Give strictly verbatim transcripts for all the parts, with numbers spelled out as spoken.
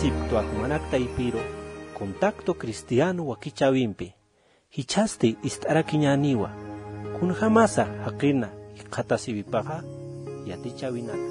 Siptwa jumanak taypiru, contacto cristiano wakichäwimpi. Jichhasti ist'arakiñäniwa, kunjamasa jaqina jikxatasiwipaxa yatichäwinaka.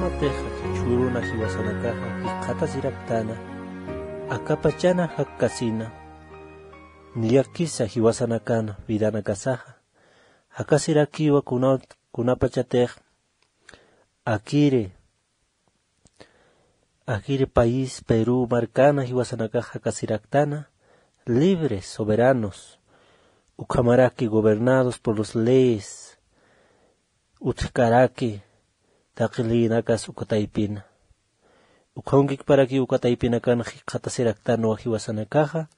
Kunjamatixa chhuruna jiwasanakaxa jikxatasiraktana, akapachana jakkasina, niyakisa jiwasanakan vidanakasaxa jakasirakiwa kuna, kunapachatix akiri, akiri país Perú markana jiwasanakax jakasiraktana, libres, soberanos, ukhamaraki gobernados por las leyes, utjkaraki taqi leyinakas uka taypina. Ukhamkikparakiw uka taypinakan jikxatasiraktanwa jiwasanakaxa,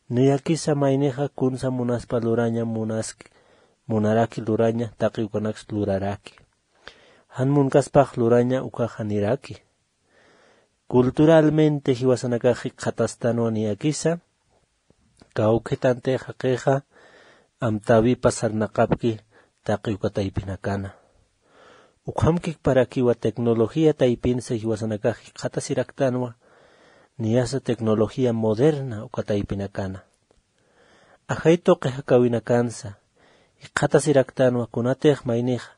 niyakisa maynixa kunsa munaspa luraña, munask, munaraki luraña, taqi ukanaks luraraki. Jan munkaspax luraña ukaxa niraki. Culturalmente jiwasanakax jikxatastanwa niyakisa, kawkhitantix jaqixa amtäwipa sarnaqapki taqi uka taypinakana. Ukhamkikparakiwa tecnología taypinsa jiwasanakax jikxatasiraktanwa, niyasa tecnología moderna uka taypinakana. Ajay tuqi jakäwinakansa jikxatasiraktanwa kunatix maynixa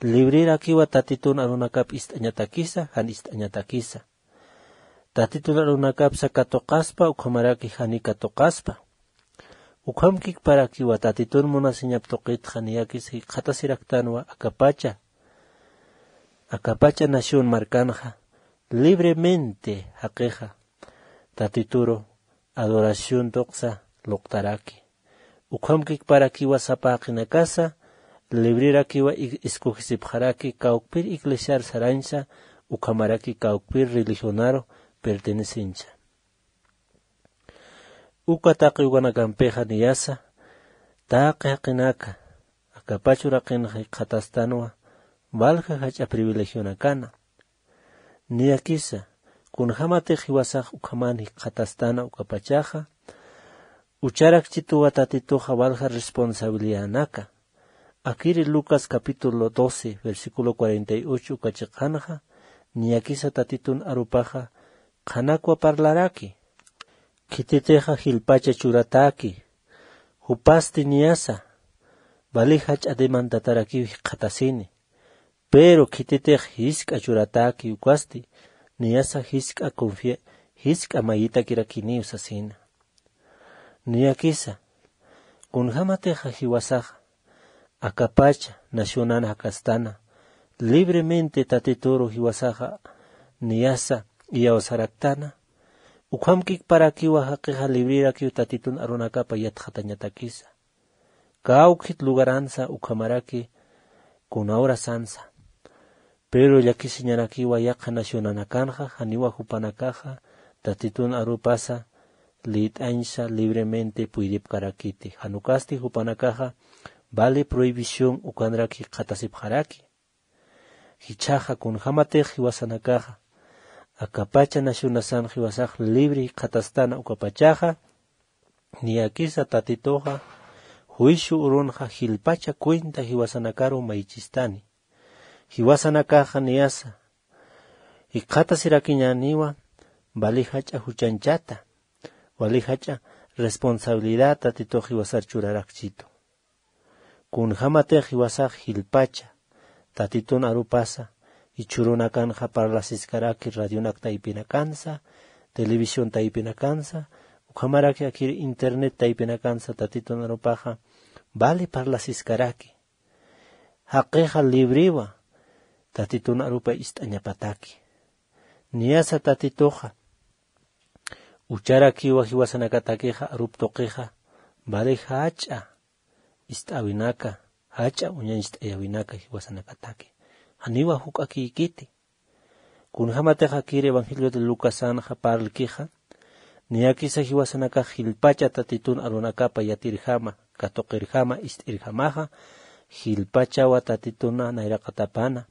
librerakiwa Tatitun arunakap ist'añatakisa, jan ist'añatakisa. Tatitun arunakapsa katuqaspa, ukhamaraki jani katuqaspa. Ukhamkikparakiwa Tatitun munasiñap tuqitxa niyakisa jikxatasiraktanwa akapacha, akapacha nación markanxa libremente jaqixa Tatituru adoración tuqsa luqtaraki. Ukhamkikparakiwa sapa jaqinakasa librerakiwa i-, escogesipxaraki kawkpir iglesiar sarañsa, ukhamaraki kawkpir religionaru pertenecencha. Uka taqi ukanakampixa niyasa, taqi jaqinaka akapach uraqinxa jikxatastanwa, walja jach'a privilegionakana. Niyakisa, kunjämatix jiwasax ukhaman jikxatastana ukapachaxa, ucharakchituwa Tatituxa walja responsabilidadnaka. Akiri Lucas capítulo doce, versículo cuarenta y ocho uka chiqanxa, niyakisa Tatitun arupaxa qhanakwa parlaraki. Khititixa jilpacha churatäki, jupasti niyasa, wali jach'a demandatarakiw jikxatasini. Pero khititix jisk'a churatäki ukasti, niyasa jisk'a confia-, jisk'a mayitakirakiniw sasina. Niyakisa, kunjämatixa jiwasaxa akapacha nacionan jakastana, libremente Tatituru jiwasaxa niyasa iyawsaraktana, ukhamkikparakiwa jaqixa librerakiw Tatitun arunakapa yatxatañatakisa. Kawkhit lugaransa ukhamaraki kuna horasansa. Pero llakisiñarakiwa yaqha nacionanakanxa, janiwa jupanakaxa Tatitun arupasa liyt'añsa libremente puydipkarakiti. Jan ukasti jupanakaxa vale prohibición ukanrak jikxatasipxaraki. Jichhaxa kunjämatix jiwasanakaxa akapacha nacionasan jiwasax libre jikxatastana ukapachaxa, niyakisa Tatituxa juicio urunxa jilpacha cuenta jiwasanakaru mayichistani. Jiwasanakaxa niyasa jikxatasirakiñäniwa wali jach'a juchanchata, wali jach'a responsabilidad Tatitux jiwasar churarakchitu. Kunjämatix jiwasax jilpacha Tatitun arupasa, jichhürunakanxa parlasiskaraki radionak taypinakansa, televisión taypinakansa, ukhamaraki akir internet taypinakansa Tatitun arupaxa vale parlasiskaraki. Jaqixa librewa Tatitun arupa ist'añapataki. Niyasa Tatituxa ucharakiwa jiwasanakatakixa arup tuqixa vale jach'a ist'äwinaka, jach'a uñañcht'ayäwinaka jiwasanakataki. Janiwa juk'akïkiti. Kunjämatix akir Evangelio de Lucasanxa parlkixa, Niyakisa jiwasanakax jilpacha Tatitun arunakapa yatirjama, katuqirjama, ist'irjamaxa, jilpachawa Tatituna nayraqatapana,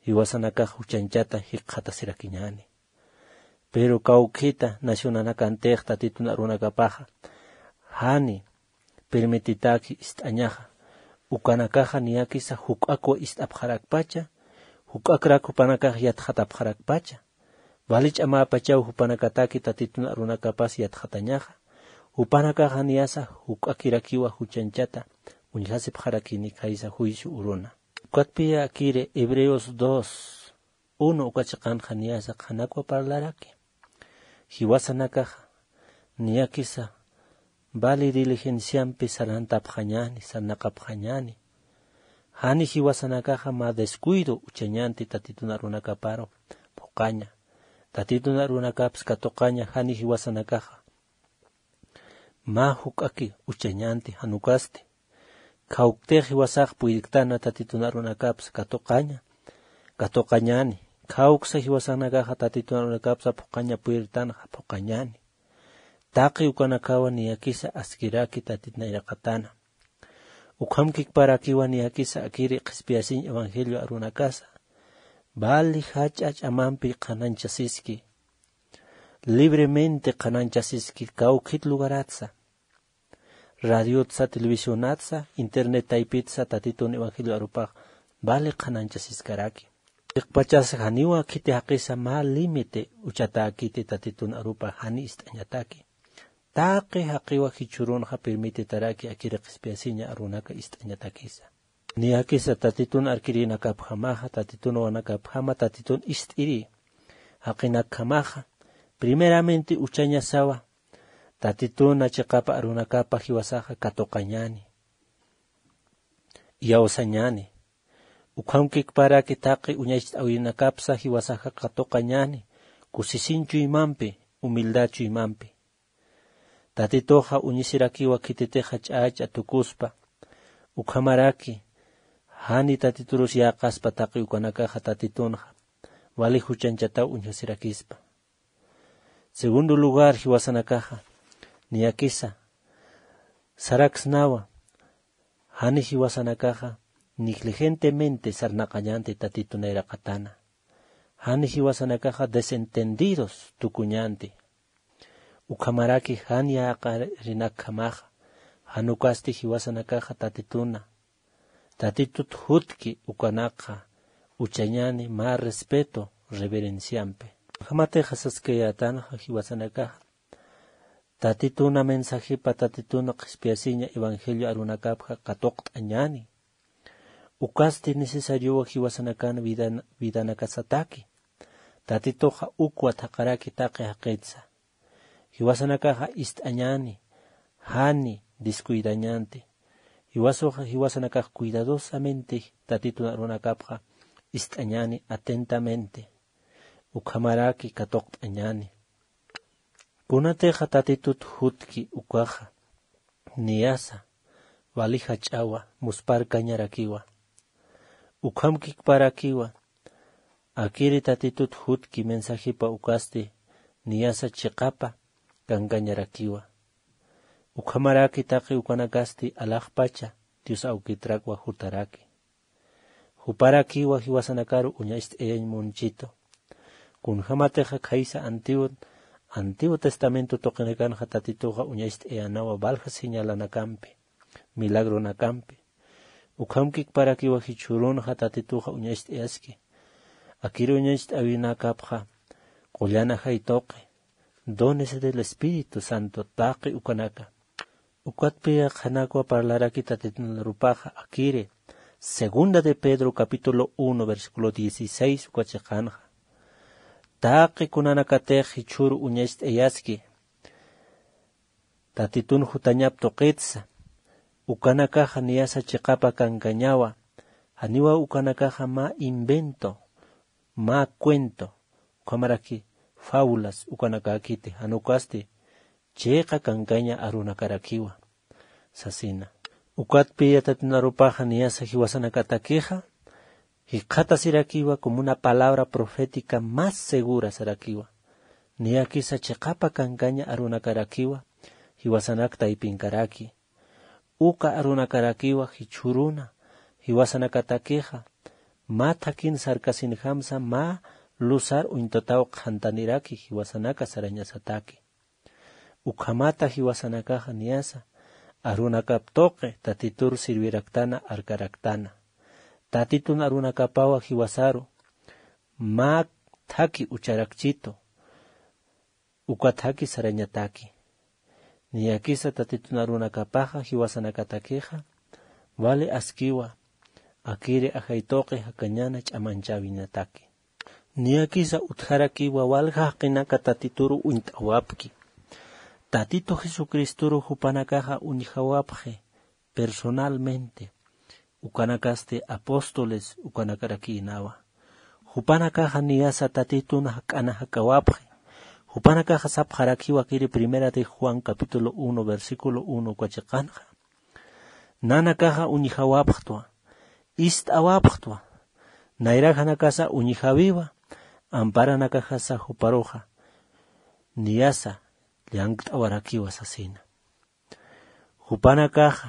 jiwasanakax juchanchata jikxatasirakiñäni. Pero kawkhita nacionanakantix Tatitun arunakapaxa, jani permititaki ist'añaxa. Ukanakaxa niyakisa juk'akwa ist'apxarakpacha, juk'akrak jupanakax yatxatapxarakpacha. Vali ch'amäpachaw jupanakataki Tatitun arunakapas yatxatañaxa. Jupanakaxa niyasa juk'akirakiwa juchanchata uñjasipxarakini khaysa juicio uruna. Ukatpï akiri Hebreos dos, uno uka chiqanxa niyasa qhanakwa parlaraki. Jiwasanakaxa niyakisa vali diligenciampi sarantapxañäni, sarnaqapxañäni. Jani jiwasanakaxa mä descuido uchañänti Tatitun arunakaparu phuqaña. Tatitun arunakapas katuqaña jani jiwasanakaxa mä juk'aki uchañänti, jan ukasti. Khawktix jiwasax puyirktana Tatitun arunakapas katuqaña, katuqañäni. Khawksa jiwasanakaxa Tatitun arunakapsa phuqaña puyirtanxa, phuqañäni. Taqi ukanakawa niyakisa askiraki Tatit nayraqatana. Ukhamkikparakiwa niyakisa akiri qhispiyasiñ evangelio arunakasa. Vali jach'a ch'amampi qhanañchasiski. Libremente qhanañchasiski kawkhit lugaratsa. Radiotsa, televisionatsa, internet taypitsa Tatitun evangelio arupax vali qhanañchasiskaraki. Chiqpachasa janiwa khiti jaqisa mä límite uchatäkiti Tatitun arupax jani ist'añataki. Taqi jaqiwa jichhürunxa permititaraki akiri qhispiyasiña arunaka ist'añatakisa. Niyakisa Tatitun arkirinakapjamaxa, Tatitun wanakapjama, Tatitun ist'iri jaqinakjamaxa, primeramente uchañasawa, Tatituna chiqapa arunakapa jiwasaxa katuqañäni, iyawsañäni. Ukhamkikparaki taqi uñacht'äwinakapsa jiwasaxa katuqañäni, kusisiñ chuymampi, humildad chuymampi. Tatituxa uñisirakiwa khititixa ch'ach'a tukuspa. Ukhamaraki, jani Tatiturus yäqaspa taqi ukanakaxa Tatitunxa, vali juchanchataw uñjasirakispa. Segundo lugar, jiwasanakaxa, niyakisa, saraksnawa, jani jiwasanakaxa, negligentemente sarnaqañänti Tatitu nayraqatana. Jani jiwasanakaxa desentendidos tukuñänti. Ukhamaraki jan yäqarinakjamaxa, jan ukasti jiwasanakaxa Tatituna, Tatitut jutki ukanakxa, uchañäni mä respeto, reverenciampi. Ukhamatixa saskayätanxa jiwasanakaxa, Tatituna mensajepa, Tatituna qhispiyasiña evangelio arunakapxa katuqt'añäni. Ukasti necesariowa jiwasanakan vidan-, vidanakasataki. Tatituxa ukwa thaqaraki taqi jaqitsa. Jiwasanakaxa ist'añäni, jani descuidañänti. Jiwasuxa, jiwasanakax cuidadosamente Tatitun arunakapxa ist'añäni atentamente. Ukhamaraki katuqt'añäni. Kunatixa Tatitut jutki ukaxa, niyasa, vali jach'awa, muspharkañarakiwa. Ukhamkikparakiwa, akiri Tatitut jutki mensajepa ukasti, niyasa chiqapa kankañarakiwa. Ukhamaraki taqi ukanakasti alaxpacha Dios awkitrakwa jutaraki. Juparakiwa jiwasanakaru uñacht'ayañ munchitu. Kunjamatixa khaysa Antiguo, Antiguo Testamento tuqinakanxa Tatituxa uñacht'ayänawa valja señalanakampi, milagronakampi. Ukhamkikparakiwa jichhürunxa Tatituxa uñacht'ayaski. Akir uñacht'äwinakapxa, qullan ajay tuqi, dones del Espíritu Santo taqi ukanaka. Ukatpï qhanakwa parlaraki Tatitun arupaxa akiri, Segunda de Pedro capítulo uno, versículo dieciséis uka chiqanxa. Taqi kunanakatix jichhüru uñacht'ayaski, Tatitun jutañap tuqitsa, ukanakaxa niyasa chiqapa kankañawa, janiwa ukanakaxa mä invento, mä cuento, ukhamaraki fábulas ukanakäkiti, jan ukasti chiqa kankaña arunakarakiwa, sasina. Ukatpï Tatitun arupaxa niyasa jiwasanakatakixa, jikxatasirakiwa como una palabra profética más segura sarakiwa. Niyakisa chiqapa kankaña arunakarakiwa jiwasanak taypinkaraki. Uka arunakarakiwa jichhüruna jiwasanakatakixa mä thakin sarkasinjamsa mä lusar uñtataw qhantaniraki jiwasanaka sarañasataki. Ukhamata jiwasanakaxa niyasa arunakap tuqi Tatitur sirviraktana arkaraktana. Tatitun arunakapawa jiwasaru mä thaki ucharakchitu uka thaki sarañataki. Niyakisa Tatitun arunakapaxa jiwasanakatakixa vali askiwa akiri ajay tuqi jakañana ch'amanchäwinataki. Niyakisa utjarakiwa walja jaqinaka Tatituru uñt'awapki. Tatitu Jesucristoru jupanakaxa uñjawapxi personalmente. Ukanakasti apóstoles ukanakarakïnawa. Jupanakaxa niyasa Tatitun jak'ana jak'awapxi. Jupanakaxa sapxarakiwa akiri Primera de Juan capítulo uno versículo uno uka chiqanxa. Nanakaxa uñjawapxtwa, ist'awapxtwa, nayrajanakasa uñjawiwa, amparanakaxasa juparuxa niyasa llank't'awarakiwa sasina. Jupanakaxa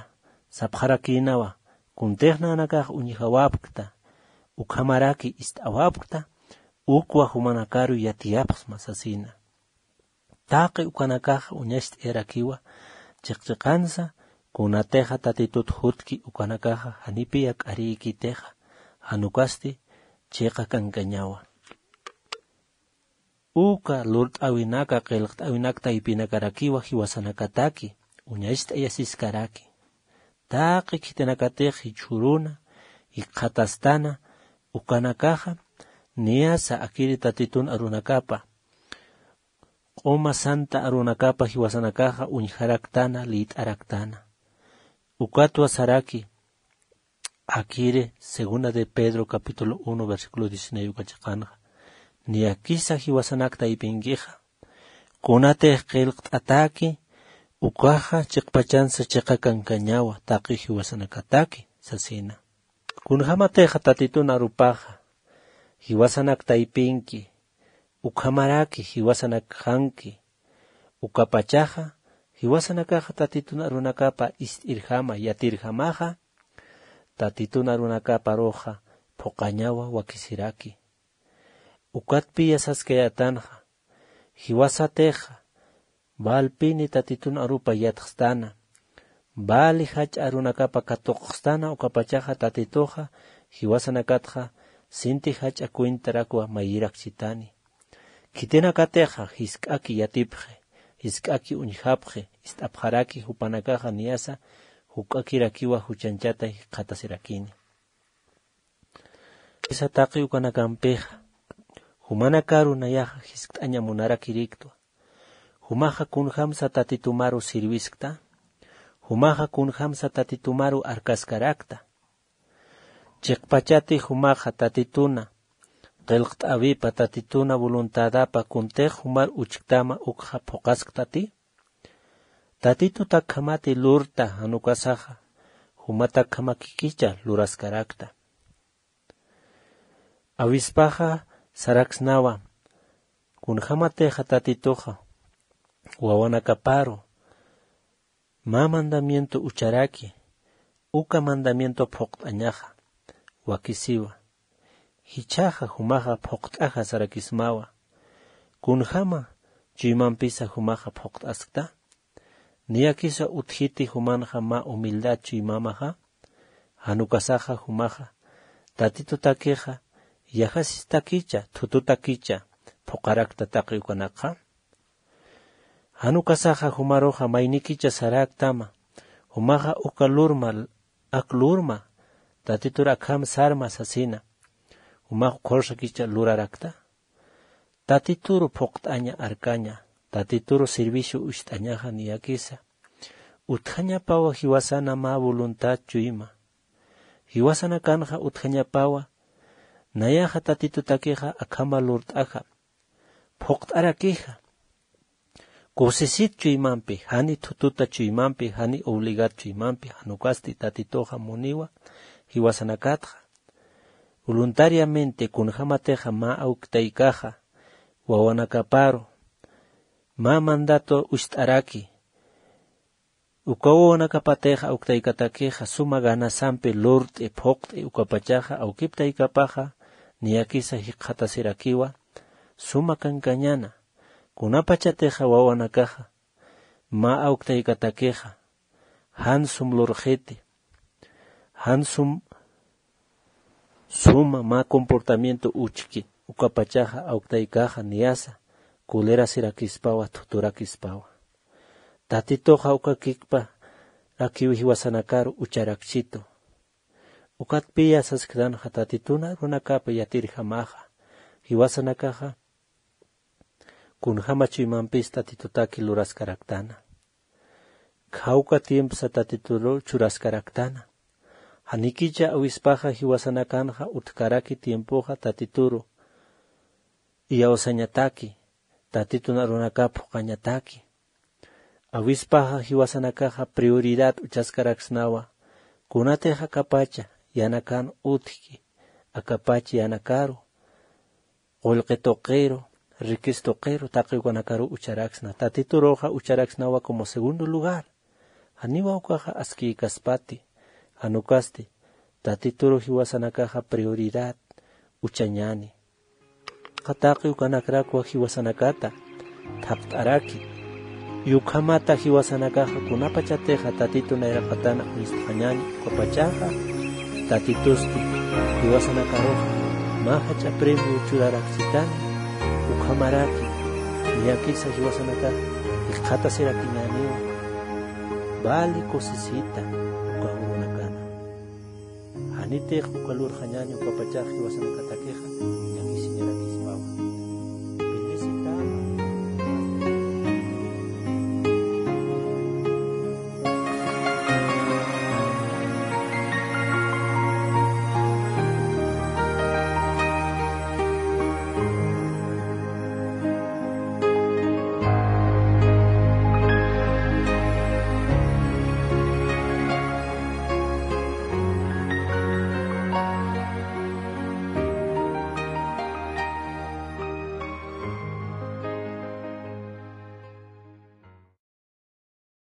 sapxarakïnawa, kuntix nanakax uñjawapkta, ukhamaraki ist'awapkta, ukwa jumanakaru yatiyapxsma sasina. Taqi ukanakaxa uñacht'ayarakiwa chiqchiqansa, kunatixa Tatitut jutki ukanakaxa janipiya k'arïkitixa, jan ukasti chiqa kankañawa. Uka lurt'äwinaka qillqt'äwinak taypinakarakiwa jiwasanakataki uñacht'ayasiskaraki. Taqi khitinakatix jichhüruna jikxatastana ukanakaxa niyasa akiri Tatitun arunakapa q'uma santa arunakapa jiwasanakaxa uñjaraktana liyt'araktana. Ukatwa saraki akiri segunda de Pedro capítulo uno versículo diecinueve uka chiqanxa. Niyakisa jiwasanak taypinkixa kunatix qillqt'ataki ukaxa chiqpachansa chiqa kankañawa taqi jiwasanakataki sasina. Kunjamatixa Tatitun arupaxa jiwasanak taypinki ukhamaraki jiwasanakxanki ukapachaxa jiwasanakaxa Tatitun arunakapa ist'irjama yatirjamaxa Tatitun arunakaparuxa phuqañawa wakisiraki. Ukatpiya saskayätanxa jiwasatixa valpini Tatitun arupa yatxstana, vali jach'a arunakapa katuqxstana ukapachaxa Tatituxa jiwasanakatxa sinti jach'a cuentarakwa mayirakchitani. Khitinakatixa jisk'aki yatipxi, jisk'aki uñjapxi, ist'apxaraki jupanakaxa niyasa juk'akirakiwa juchañchata jikxatasirakini. Jisa taqi ukanakampixa jumanakaru nayaxa jiskt'aña munarakiriktwa. Jumaxa kunjamsa Tatitumaru sirviskta, jumaxa kunjamsa Tatitumaru arkaskarakta. Chiqpachati jumaxa Tatituna qillqt'äwipa, Tatituna voluntadapa kuntix jumar uchktama ukxa phuqasktati. Tatitutakjamati lurta, jan ukasaxa jumatakjamakikicha luraskarakta. Awispaxa saraksnawa, kunjamatixa Tatituxa wawanakaparu mä mandamiento ucharaki, uka mandamiento phuqt'añaxa, wakisiwa. Jichhaxa jumaxa phuqt'aja sarakismawa. Kunjama chuymampisa jumaxa phuqt'askta? Niyakisa utjiti jumanxa mä humildad chuymamaxa, jan ukasaxa jumaxa Tatitutakixa yajasistakicha, thututakicha phuqarakta taqi ukanakxa. Jan ukasaxa jumaruxa maynikicha saräktama, jumaxa uka lurma, ak lurma, Tatitur akham sarma sasina, jumax ukhursakicha lurarakta. Tatituru phuqt'aña arkaña, Tatituru servicio ucht'añaxa niyakisa. Utjañapawa jiwasana mä voluntad chuyma. Jiwasanakanxa utjañapawa, nayaxa Tatitutakixa akhama lurt'aja, phuqt'arakixa. Kusisit chuymampi, jani thututa chuymampi, jani obligad chuymampi, jan ukasti Tatituxa muniwa jiwasanakatxa. Voluntariamente kunjamatixa mä awki taykaxa, wawanakaparu, mä mandato ucht'araki. Uka wawanakapatix awktaykatakixa suma ganasampi lurt'i phuqt'i ukapachaxa awkiptaykapaxa niyakisa jikxatasirakiwa suma kankañana. Kunapachatixa wawanakaxa mä awktaykatakixa jan sum lurxiti, jan sum suma mä comportamiento uchki ukapachaxa awktaykaxa niyasa colerasirakispawa thuturakispawa. Tatituxa uka kikparakiw jiwasanakaru ucharakchitu. Ukatpiya sasktanxa tatitun arunakapa yatirjamaxa jiwasanakaxa kunjäma chuymampis tatitutaki luraskaraktana. Khawka tiempsa tatituru churaskaraktana. Janikicha awispaxa jiwasanakanxa utjkaraki tiempoxa tatituru iyawsañataki tatitun arunakap juqañataki. Awispaxa jiwasanakaxa prioridad uchaskaraksnawa kunatix akapacha yanakan utjki akapacha yanakaru qullqi tuqiru, riquis tuqiru taqi ukanakaru ucharaksna. Tatituruxa ucharaksnawa como segundo lugar. Janiwa ukaxa askïkaspati. Jan ukasti tatituru jiwasanakaxa prioridad uchañäni. Qataqi ukanakrakwa jiwasanakata thapt'araki. Y ukhamata jiwasanakaxa kunapachatixa tatitu nayraqatana uñstxañäni ukapachaxa tatitusti jiwasanakaruxa mä jach'a premio churaraksitani. Ukhamaraki niyakisa jiwasanakax jikxatasirakiñäniwa. Vale cosisita uka urunakana. Janitix uka lurxañäni ukapachax jiwasanakatakixa